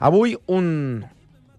Avui un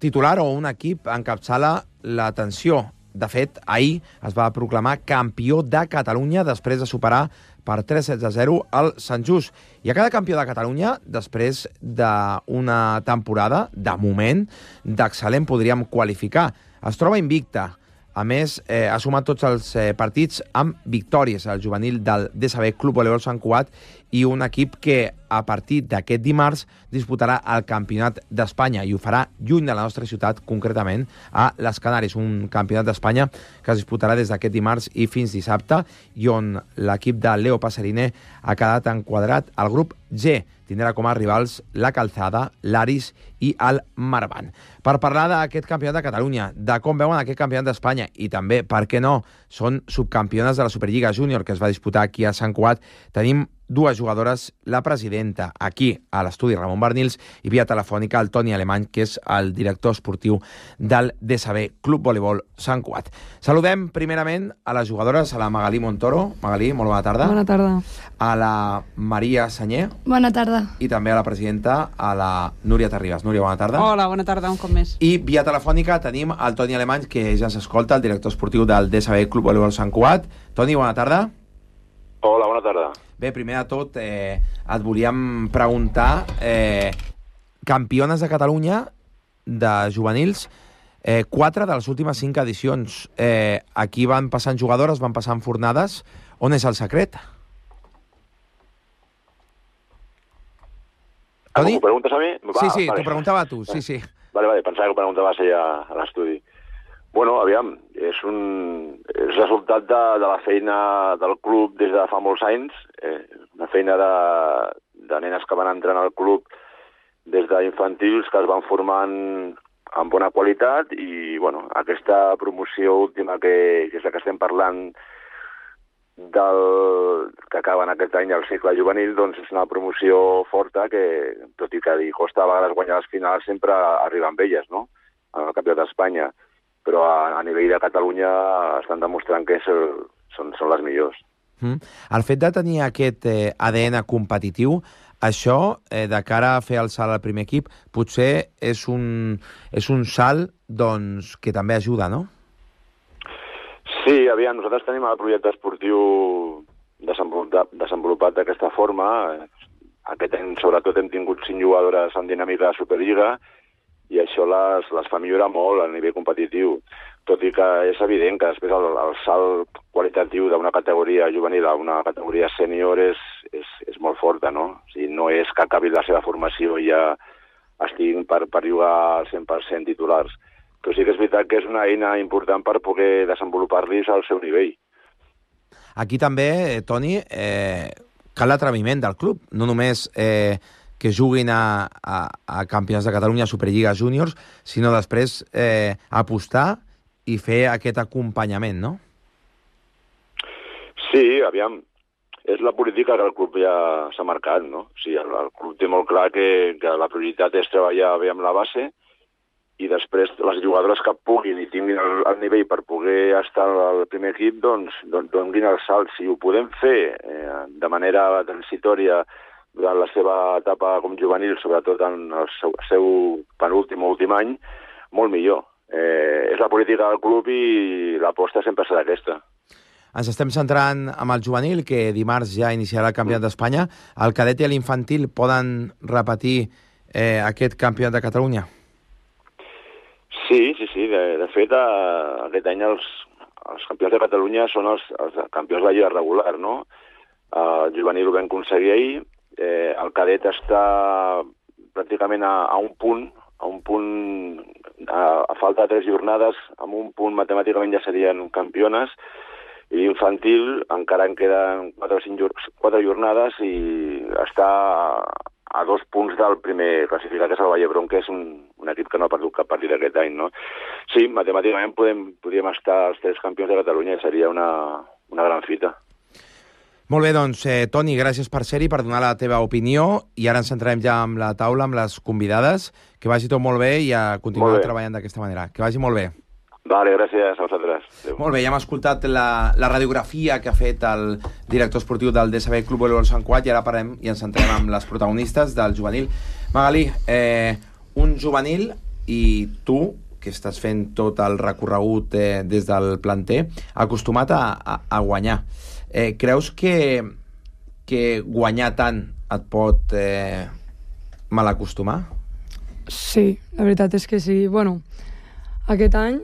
titular o un equip encapçala l'atenció. De fet, ahir es va proclamar campió de Catalunya després de superar per 3-0 el Sant Just. I a cada campió de Catalunya, després d'una temporada, de moment, d'excel·lent podríem qualificar. Es troba invicta. A més, ha sumat tots els partits amb victòries, el juvenil del DSB Club Voleibol Sant Cugat, i un equip que a partir d'aquest dimarts disputarà el Campionat d'Espanya i ho farà lluny de la nostra ciutat, concretament a les Canàries, un Campionat d'Espanya que es disputarà des d'aquest dimarts i fins dissabte, i on l'equip de Leo Passerine ha quedat enquadrat al grup G. Tindrà com a rivals la Calzada, l'Aris i el Marban. Per parlar d'aquest campionat de Catalunya, de com veuen aquest campionat d'Espanya i també, per què no, són subcampiones de la Superliga Júnior que es va disputar aquí a Sant Cugat, tenim dues jugadores, la presidenta aquí a l'estudi Ramon Barnils i via telefònica el Toni Alemany, que és el director esportiu del DSB Club Voleibol Sant Cugat. Saludem primerament a les jugadores, a la Magalí Montoro. Magalí, molt bona tarda. Bona tarda. A la Maria Sanyer. Bona tarda. I també a la presidenta, a la Núria Terribas. Núria, bona tarda. Hola, bona tarda, un cop més. I via telefònica tenim el Toni Alemany, que ja s'escolta, el director esportiu del DSB Club Voleibol Sant Cugat. Toni, bona tarda. Hola, bona tarda. Bé, primer de tot, et volíem preguntar, campiones de Catalunya de juvenils, 4 de les últimes 5 edicions. Aquí van passant jugadores, van passant fornades. On és el secret? Toni? M'ho preguntes a mi? Sí, vale. T'ho preguntava a tu, sí. Vale, pensava que ho preguntaves allà a l'estudi. Bueno, aviam, és resultat de la feina del club des de fa molts anys, una feina de nenes que van entrant al club des d'infantils, que es van formant amb bona qualitat, i bueno, aquesta promoció última, que és la que estem parlant, que acaba en aquest any el cicle juvenil, doncs és una promoció forta que, tot i que li costa a vegades guanyar les finals, sempre arriba amb elles, no?, al Campionat d'Espanya. Però a nivell de Catalunya estan demostrant que són les millors. El fet de tenir aquest ADN competitiu, això, de cara a fer el salt al primer equip, potser és un salt doncs, que també ajuda, no? Sí, aviam, nosaltres tenim el projecte esportiu desenvolupat d'aquesta forma. Aquest any, sobretot, hem tingut 5 jugadores en dinàmica de Superliga, i això les fa millorar molt a nivell competitiu, tot i que és evident que després el salt qualitatiu d'una categoria juvenil a una categoria sènior és molt forta, no? O sigui, no és que acabi la seva formació i ja estiguin per jugar al 100% titulars. Però sí que és veritat que és una eina important per poder desenvolupar-los al seu nivell. Aquí també, Toni, cal l'atreviment del club, no només que juguin a campionats de Catalunya, Superliga Júniors, sinó després apostar i fer aquest acompanyament, no? Sí, aviam, és la política que el club ja s'ha marcat, no? O sigui, el club té molt clar que la prioritat és treballar bé amb la base i després les jugadores que puguin i tinguin el nivell per poder estar al primer equip, doncs donin el salt. Si ho podem fer de manera transitòria durant la seva etapa com juvenil, sobretot en el seu penúltim o últim any, molt millor. És la política del club i l'aposta sempre serà aquesta. Ens estem centrant amb el juvenil, que dimarts ja iniciarà el Campionat d'Espanya. El cadet i l'infantil poden repetir aquest Campionat de Catalunya? Sí. De fet, aquest any els campions de Catalunya són els campions de la lliga regular, no? El juvenil ho vam aconseguir ahir. El cadet està pràcticament a un punt, a falta de 3 jornades, amb un punt matemàticament ja serien campiones, i l'infantil encara en queden 4 jornades i està a 2 punts del primer classificat, que és el Vallebron, que és un equip que no ha perdut cap partit aquest any, no? Sí, matemàticament podríem estar els 3 campions de Catalunya i seria una gran fita. Molt bé, doncs, Toni, gràcies per ser-hi, per donar la teva opinió, i ara ens centrarem ja amb la taula, amb les convidades. Que vagi tot molt bé i a continuar treballant d'aquesta manera. Que vagi molt bé. Vale, gràcies a vosaltres. Adéu. Molt bé, ja hem escoltat la radiografia que ha fet el director esportiu del DSB Club Voleibol Sant Cugat, i ara parlem i ens centrem amb les protagonistes del juvenil. Magalí, un juvenil i tu, que estàs fent tot el recorregut des del planter, acostumat a guanyar. Creus que guanyar tant et pot malacostumar? Sí, la veritat és que sí. Bueno, aquest any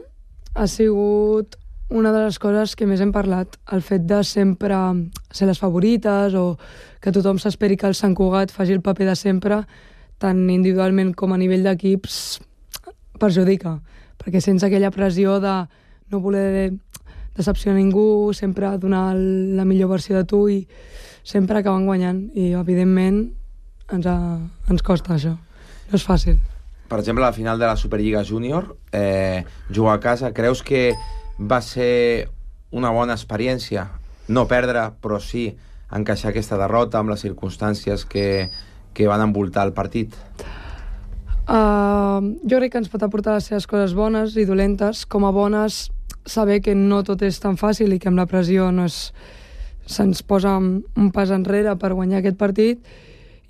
ha sigut una de les coses que més hem parlat, el fet de sempre ser les favorites o que tothom s'esperi que el Sant Cugat faci el paper de sempre, tant individualment com a nivell d'equips, perjudica, perquè sents aquella pressió de no voler decepcionar ningú, sempre donar la millor versió de tu i sempre acaben guanyant i evidentment ens costa això, no és fàcil. Per exemple, a la final de la Superliga Júnior, jugar a casa, creus que va ser una bona experiència? No perdre, però sí encaixar aquesta derrota amb les circumstàncies que van envoltar el partit? Jo crec que ens pot aportar les seves coses bones i dolentes. Com a bones, saber que no tot és tan fàcil i que amb la pressió se'ns posa un pas enrere per guanyar aquest partit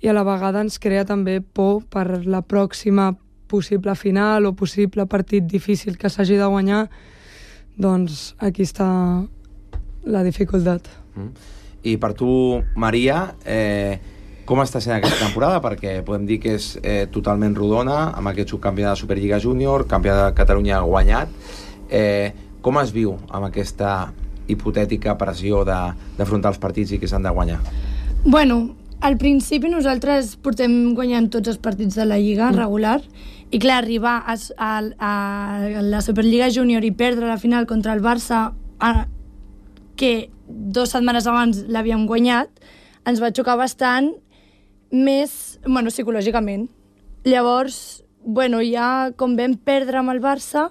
i a la vegada ens crea també por per la pròxima possible final o possible partit difícil que s'hagi de guanyar. Doncs aquí està la dificultat. I per tu, Maria, com està sent aquesta temporada? Perquè podem dir que és totalment rodona, amb aquest subcampionat de Superliga Júnior, campionat de Catalunya guanyat. Com es viu amb aquesta hipotètica pressió d'afrontar els partits i que s'han de guanyar? Bueno, al principi nosaltres portem guanyant tots els partits de la Lliga regular i clar, arribar a la Superliga Júnior i perdre la final contra el Barça, que 2 setmanes abans l'havíem guanyat, ens va xocar bastant més, psicològicament. Llavors, ja com vam perdre amb el Barça,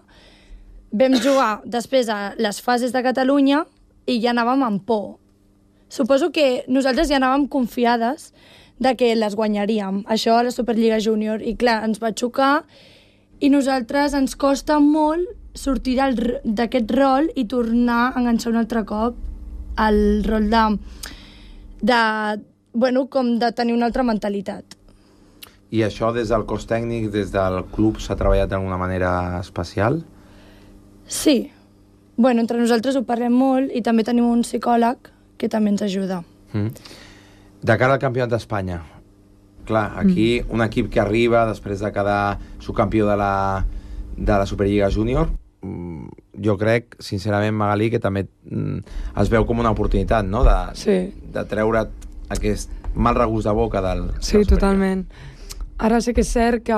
vam jugar després a les fases de Catalunya i ja anàvem amb por. Suposo que nosaltres ja anàvem confiades de que les guanyaríem, això a la Superliga Júnior, i clar, ens va xocar i nosaltres ens costa molt sortir d'aquest rol i tornar a enganxar un altre cop al rol com de tenir una altra mentalitat. I això des del cos tècnic, des del club, s'ha treballat d'alguna manera especial? Sí. Entre nosaltres ho parlem molt i també tenim un psicòleg que també ens ajuda. De cara al Campionat d'Espanya, clar, aquí un equip que arriba després de quedar subcampió de la Superliga Júnior, jo crec, sincerament, Magalí, que també es veu com una oportunitat, no?, de treure aquest mal regust de boca del... Sí, totalment. Ara sí que és cert que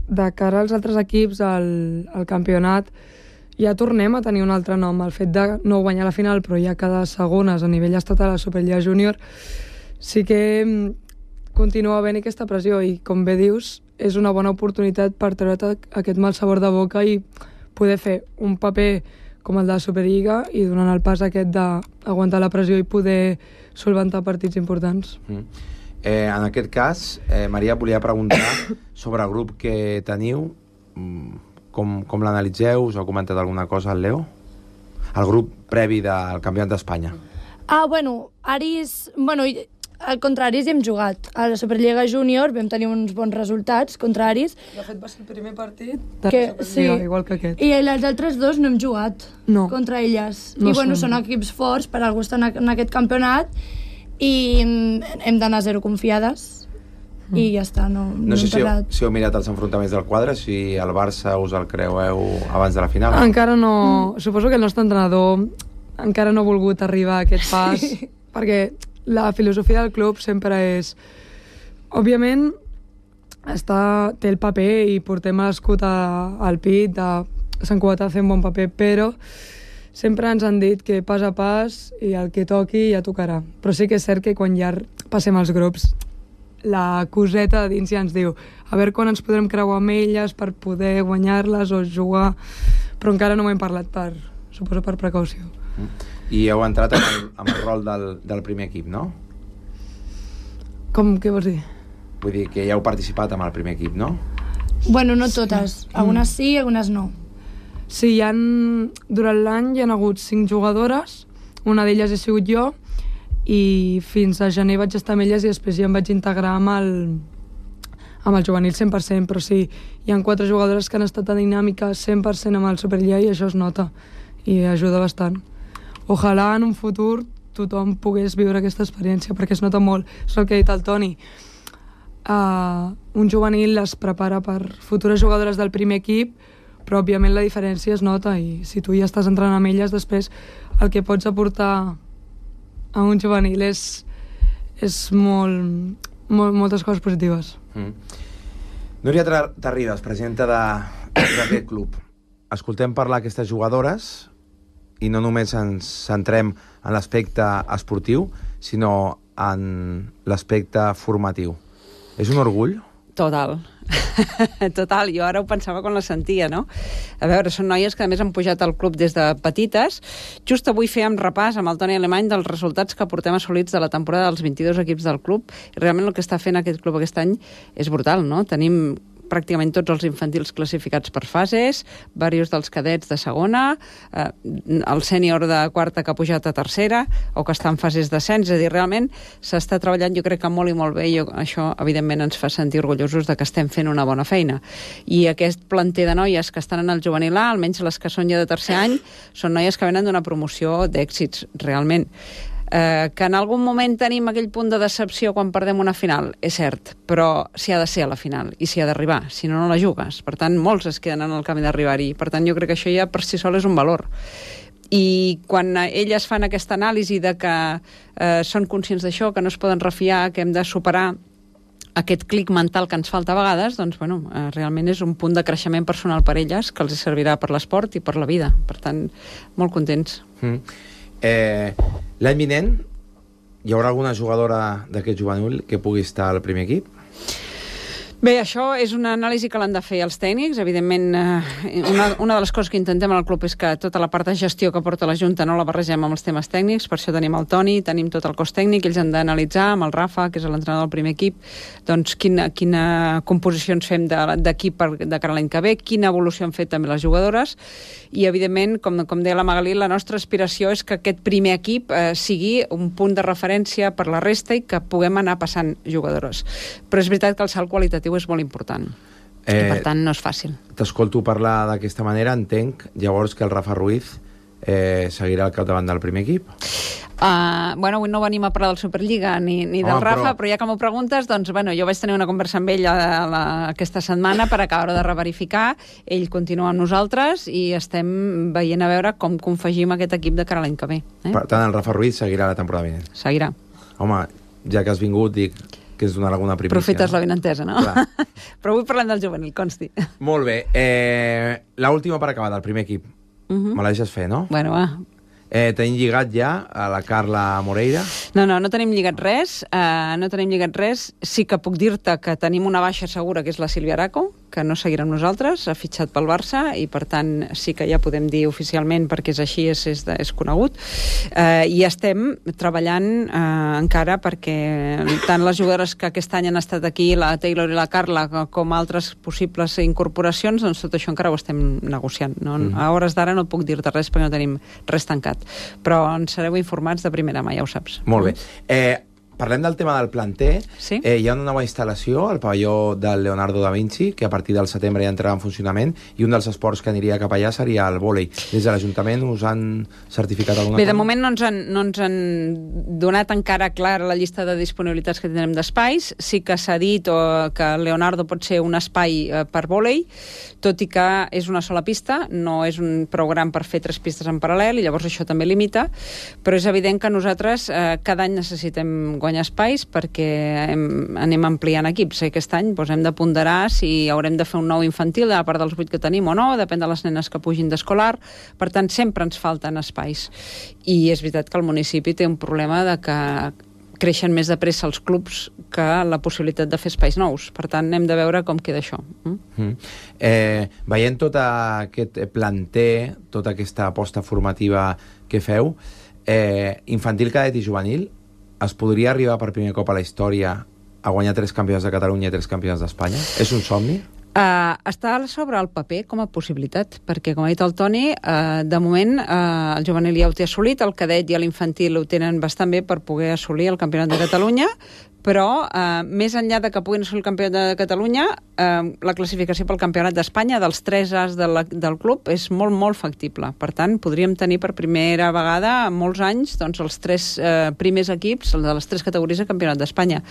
de cara als altres equips al campionat ja tornem a tenir un altre nom. El fet de no guanyar la final, però ja quedar segones a nivell estatal a la Superliga Júnior, sí que continua havent aquesta pressió i, com bé dius, és una bona oportunitat per treure't aquest mal sabor de boca i poder fer un paper com el de la Superliga i donant el pas aquest d'aguantar la pressió i poder solventar partits importants. En aquest cas, Maria, volia preguntar sobre el grup que teniu. Com l'analitzeu? Us heu comentat alguna cosa al Leo? El grup previ del Campionat d'Espanya. Aris... contra Aris hi hem jugat. A la Superliga Júnior vam tenir uns bons resultats contra Aris. De fet, va ser el primer partit de la Superliga, igual que aquest. I els altres 2 no hem jugat contra elles. I són equips forts, per algú estar en aquest campionat i hem d'anar 0 confiades. I ja està, no sé si heu mirat els enfrontaments del quadre, si el Barça us el creueu abans de la final. Encara no. Suposo que el nostre entrenador encara no ha volgut arribar a aquest pas, perquè la filosofia del club sempre és... Òbviament, té el paper i portem l'escut al pit de Sant Cugat a fer un bon paper, però sempre ens han dit que pas a pas i el que toqui ja tocarà. Però sí que és cert que quan ja passem els grups la coseta dins ja ens diu a veure quan ens podrem creuar amb elles per poder guanyar-les o jugar, però encara no m'hem parlat suposo per precaució. I heu entrat amb el rol del primer equip, no? Què vols dir? Vull dir que ja heu participat amb el primer equip, no? No totes. Algunes sí, algunes no. Sí, durant l'any hi ha hagut 5 jugadores, una d'elles he sigut jo, i fins a gener vaig estar amb elles i després ja em vaig integrar amb amb el juvenil 100%, però sí, hi ha 4 jugadores que han estat a dinàmica 100% amb el Superliga i això es nota i ajuda bastant. Ojalà en un futur tothom pogués viure aquesta experiència perquè es nota molt, és el que ha dit el Toni. Un juvenil es prepara per futures jugadores del primer equip, però òbviament la diferència es nota i si tu ja estàs entrant amb elles, després el que pots aportar a un juvenil és moltes coses positives. Núria Tarridas, presidenta d'aquest club. Escoltem parlar aquestes jugadores i no només ens centrem en l'aspecte esportiu, sinó en l'aspecte formatiu. És un orgull? Total. Total, jo ara ho pensava quan la sentia, no? A veure, són noies que a més han pujat al club des de petites. Just avui fèiem repàs amb el Toni Alemany dels resultats que portem assolits de la temporada dels 22 equips del club i realment el que està fent aquest club aquest any és brutal, no? Tenim pràcticament tots els infantils classificats per fases, diversos dels cadets de segona, el sènior de quarta que ha pujat a tercera o que està en fases d'ascens, és a dir, realment s'està treballant jo crec que molt i molt bé i això evidentment ens fa sentir orgullosos de que estem fent una bona feina. I aquest planter de noies que estan en el juvenil A, almenys les que són ja de tercer any, són noies que venen d'una promoció d'èxits, realment. Que en algun moment tenim aquell punt de decepció quan perdem una final, és cert, però s'hi ha de ser a la final i s'hi ha d'arribar, si no, no la jugues. Per tant, molts es queden en el camí d'arribar-hi. Per tant, jo crec que això ja per si sol és un valor. I quan elles fan aquesta anàlisi de que són conscients d'això, que no es poden refiar, que hem de superar aquest clic mental que ens falta a vegades, doncs, bueno, realment és un punt de creixement personal per elles que els servirà per l'esport i per la vida. Per tant, molt contents. L'any vinent hi haurà alguna jugadora d'aquest juvenil que pugui estar al primer equip? Bé, això és una anàlisi que l'han de fer els tècnics. Evidentment, una de les coses que intentem al club és que tota la part de gestió que porta la Junta no la barregem amb els temes tècnics, per això tenim el Toni, tenim tot el cos tècnic, ells han d'analitzar amb el Rafa, que és l'entrenador del primer equip, doncs quina composició ens fem d'equip de cara a l'any que ve, quina evolució han fet també les jugadores, i evidentment, com deia la Magalí, la nostra aspiració és que aquest primer equip sigui un punt de referència per la resta i que puguem anar passant jugadores. Però és veritat que el salt qualitatiu és molt important. I per tant no és fàcil. T'escolto parlar d'aquesta manera, entenc llavors que el Rafa Ruiz seguirà al capdavant del primer equip? Bueno, avui no venim a parlar del Superliga ni del Rafa, però ja que m'ho preguntes, doncs, bueno, jo vaig tenir una conversa amb ell aquesta setmana per acabar de reverificar. Ell continua amb nosaltres i estem veient a veure com confegim aquest equip de cara a l'any que ve. Per tant, el Rafa Ruiz seguirà la temporada vinent? Seguirà. Home, ja que has vingut, dic que és donar alguna primícia. Profites la benentesa, no? Però avui parlem del juvenil, consti. Molt bé. L'última per acabar, del primer equip. Me la deixes fer, no? Bueno, va. Tenim lligat ja a la Carla Moreira? No tenim lligat res. Sí que puc dir-te que tenim una baixa segura, que és la Sílvia Araco, que no seguirà amb nosaltres, ha fitxat pel Barça, i per tant sí que ja podem dir oficialment, perquè és així, és conegut. I estem treballant encara perquè tant les jugadores que aquest any han estat aquí, la Taylor i la Carla, com altres possibles incorporacions, doncs tot això encara ho estem negociant. A hores d'ara no puc dir-te res perquè no tenim res tancat. Però ens sereu informats de primera mà, ja ho saps. Molt bé. Parlem del tema del planter. Sí? Hi ha una nova instal·lació al pavelló del Leonardo da Vinci, que a partir del setembre ja entrarà en funcionament, i un dels esports que aniria cap allà seria el vòlei. Des de l'Ajuntament us han certificat alguna cosa? Bé, de moment no ens han donat encara clara la llista de disponibilitats que tindrem d'espais. Sí que s'ha dit que el Leonardo pot ser un espai per vòlei, tot i que és una sola pista, no és un prou gran per fer 3 pistes en paral·lel, i llavors això també limita, però és evident que nosaltres cada any necessitem guanyar espais perquè anem ampliant equips. Aquest any hem de ponderar si haurem de fer un nou infantil a part dels 8 que tenim o no, depèn de les nenes que pugin d'escolar. Per tant, sempre ens falten espais. I és veritat que el municipi té un problema de que creixen més de pressa els clubs que la possibilitat de fer espais nous. Per tant, hem de veure com queda això. Veient tot aquest planter, tota aquesta aposta formativa que feu, infantil, cadet i juvenil, es podria arribar per primer cop a la història a guanyar 3 campionats de Catalunya i 3 campionats d'Espanya? És un somni? Està sobre el paper com a possibilitat, perquè, com ha dit el Toni, de moment el juvenil ja ho té assolit, el cadet i l'infantil ho tenen bastant bé per poder assolir el campionat de Catalunya, però més enllà de que puguin assolir el campionat de Catalunya, la classificació pel campionat d'Espanya dels 3 As del club és molt, molt factible. Per tant, podríem tenir per primera vegada en molts anys doncs, els 3 primers equips de les 3 categories de campionat d'Espanya.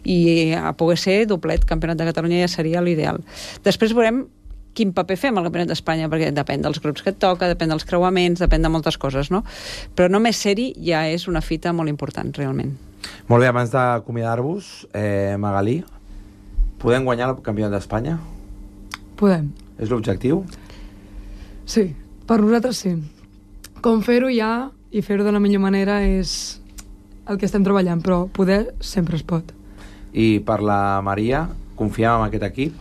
I a poder ser doblet campionat de Catalunya ja seria l'ideal. Després veurem quin paper fem al Campionat d'Espanya, perquè depèn dels grups que et toca, depèn dels creuaments, depèn de moltes coses, no? Però només ser-hi ja és una fita molt important, realment. Molt bé, abans d'acomiadar-vos, Magalí, podem guanyar el Campionat d'Espanya? Podem. És l'objectiu? Sí, per nosaltres sí. Com fer-ho ja i fer-ho de la millor manera és el que estem treballant, però poder sempre es pot. I per la Maria, confiem en aquest equip?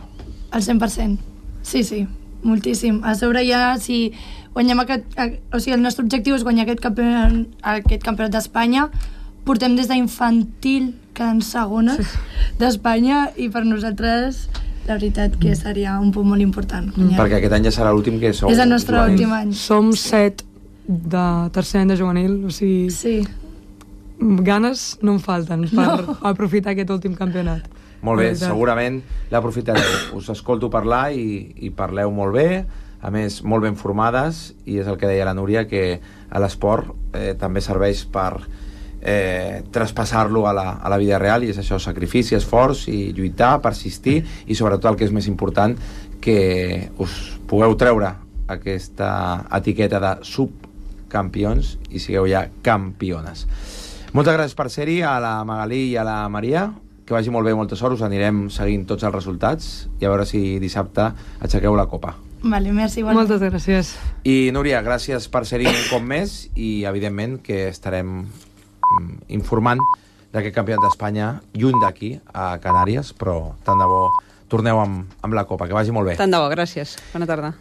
Al 100%. Sí, moltíssim. A sobre ja, si guanyem el nostre objectiu és guanyar aquest campionat d'Espanya, portem des d'infantil quedant segones d'Espanya i per nosaltres la veritat que seria un punt molt important. Perquè aquest any ja serà l'últim que sou. És el nostre últim any. Som 7 de tercer any de juvenil, o sigui... Sí. Ganes no en falten per aprofitar aquest últim campionat. Molt bé, segurament l'aprofitareu. Us escolto parlar i parleu molt bé, a més, molt ben formades, i és el que deia la Núria, que a l'esport també serveix per traspassar-lo a la vida real, i és això, sacrifici, esforç, i lluitar, persistir, i sobretot el que és més important, que us pugueu treure aquesta etiqueta de subcampions i sigueu ja campiones. Moltes gràcies per ser-hi, a la Magalí i a la Maria. Que vagi molt bé, molta sort, us anirem seguint tots els resultats i a veure si dissabte aixequeu la copa. Vale, merci. Moltes gràcies. I Núria, gràcies per ser-hi un cop més i evidentment que estarem informant d'aquest campionat d'Espanya lluny d'aquí, a Canàries, però tant de bo torneu amb la copa. Que vagi molt bé. Tant de bo, gràcies. Bona tarda.